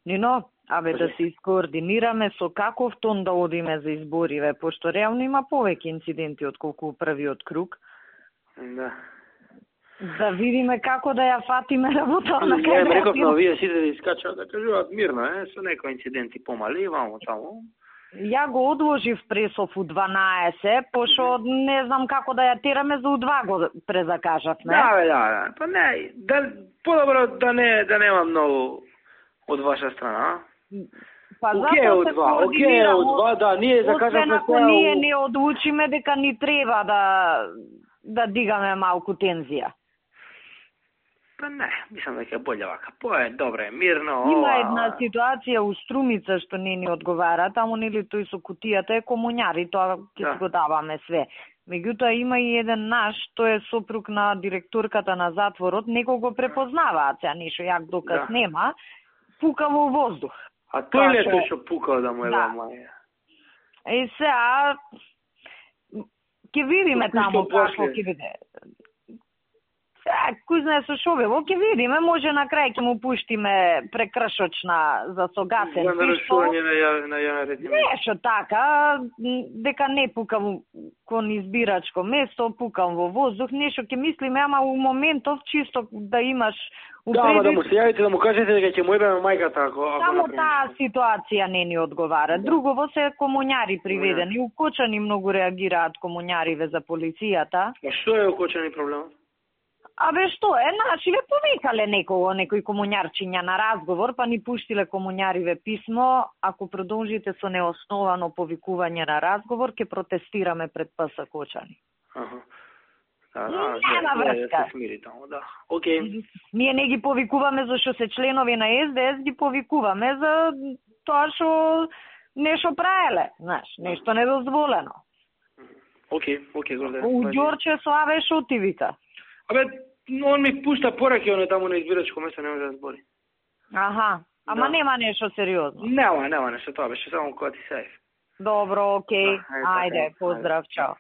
Нино, да се искоординираме со каков тон да одиме за избориве, пошто реално има повеќе инциденти отколку првиот круг. Да. Да видиме како да ја фатиме работа на крај. Ја реков на овие сите да искачаат да кажуваат мирно, со некои инциденти помали, вамо таму. Ја го одложив пресов у 12, пошто не знам како да ја тераме за у 2 го презакажавме. Да. Па не, подобро да нема многу од ваша страна. Па Океј од 2, да, ние закажавме ако ние не одлучиме дека ни треба да дигаме малку тензија. Па не, мислам дека е боле вака. Добре, мирно. Има една ситуација у Струмица што не ни одговара, таму нели тој со кутијата е комуњари, тоа ќе си го даваме све. Меѓутоа има и еден наш, тој е сопруг на директорката на затворот, некој го препознаваат, сега ништо јак доказ нема, пука во воздух. А тој ли е тој што пукал да му е маја? Сега ќе видиме таму како ќе биде. Кој знае со шо бе, ќе видиме, може на крај ќе му пуштиме прекршочна за согасен. За нарушување на јавен ред. Нешто така, дека не пукам кон избирачко место, пукам во воздух, нешто ќе мислиме, ама у моментов чисто да имаш да му се јавите, да му кажете дека ќе му ебеме мајката ако само таа ситуација не ни одговара. Другово се комуњари приведени, укочани многу реагираат комуњариве за полицијата. Што е укочани проблемот? Што е, нашиве повикале некој комуњарчиња на разговор, па ни пуштиле комуњариве писмо, ако продолжите со неосновано повикување на разговор, ќе протестираме пред ПС Кочани. Нема врска. Океј. Ние не ги повикуваме зашто се членови на СДС, ги повикуваме за тоа што нешто праеле, нешто недозволено. Океј, Горден. У Ѓорче со Аве шо ти вика? Он ми пушта пораки, он е таму на избирачко место, не може да збори. Ама нема нешто сериозно. Нема нешто, тоа беше само кога ти сејф. Добро, океј. Ајде, поздрав, чао.